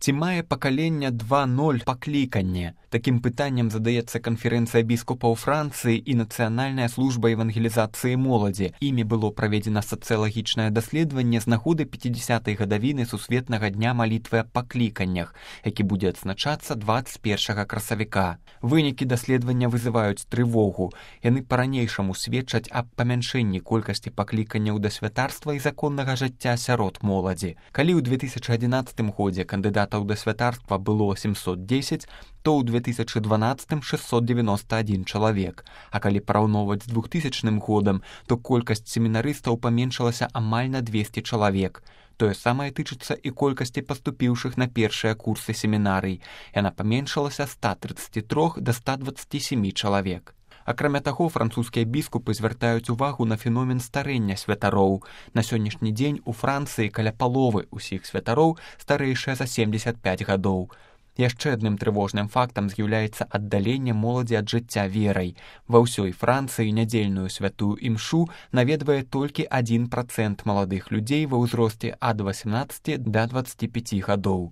Ці мае пакаленне 2.0 пакліканне? Такім пытаннем задаецца канферэнцыя біскупаў Францыі і Нацыянальная служба евангелізацыі моладзі. Імі было праведзена сацыялагічнае даследаванне з нагоды 50-й гадавіны Сусветнага дня малітвы аб пакліканнях, які будзе адзначацца 21 красавіка. Вынікі даследавання вызываюць трывогу. Яны па-ранейшаму сведчаць аб памяншэнні колькасці пакліканняў да святарства і законнага жыцця сярод моладзі. Калі ў 2011 годзе кандыдатаў да святарства было 710, то ў 2012 691 чалавек. А калі параўноўваць з 2000 годам, то колькасць семінарыстаў паменшылася амаль на 200 чалавек. Тое самае тычыцца і колькасці паступіўшых на першыя курсы семінарый. Яна паменшылася з 133 да 127 чалавек. Акрамя таго, французскія біскупы звяртаюць увагу на феномен старэння святароў. На сённяшні дзень у Францыі каля паловы ўсіх святароў старэйшыя за 75 гадоў. Яшчэ адным трывожным фактам з'яўляецца аддаленне моладзі ад жыцця верай. Ва ўсёй Францыі нядзельную святую імшу наведвае толькі 1% маладых людзей ва ўзросце ад 18 да 25 гадоў.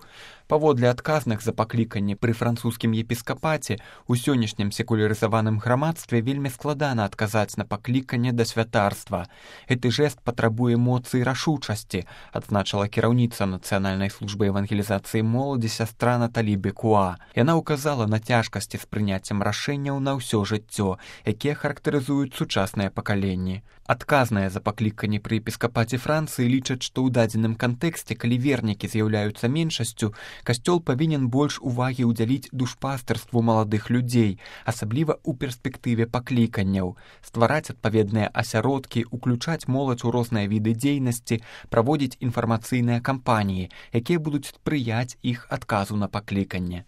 Паводле адказных за пакліканне пры французскім епіскапаце, у сённяшнім секулярызаваным грамадстве вельмі складана адказаць на пакліканне да святарства. Гэты жэст патрабуе эмоцыі рашучасці, адзначыла кіраўніца Нацыянальнай службы евангелізацыі моладзі сястра Наталі Бекуа. Яна ўказала на цяжкасці з прыняццем рашэнняў на ўсё жыццё, якія характарызуюць сучасныя пакаленні. Адказныя за пакліканне пры епіскапаце Францыі лічаць, што ў дадзеным кантэксце, калі вернікі з'яўляюцца меншасцю, касцёл павінен больш увагі ўдзяліць душпастарству маладых людзей, асабліва ў перспектыве пакліканняў, ствараць адпаведныя асяродкі, уключаць моладзь у розныя віды дзейнасці, праводзіць інфармацыйныя кампаніі, якія будуць спрыяць іх адказу на пакліканне.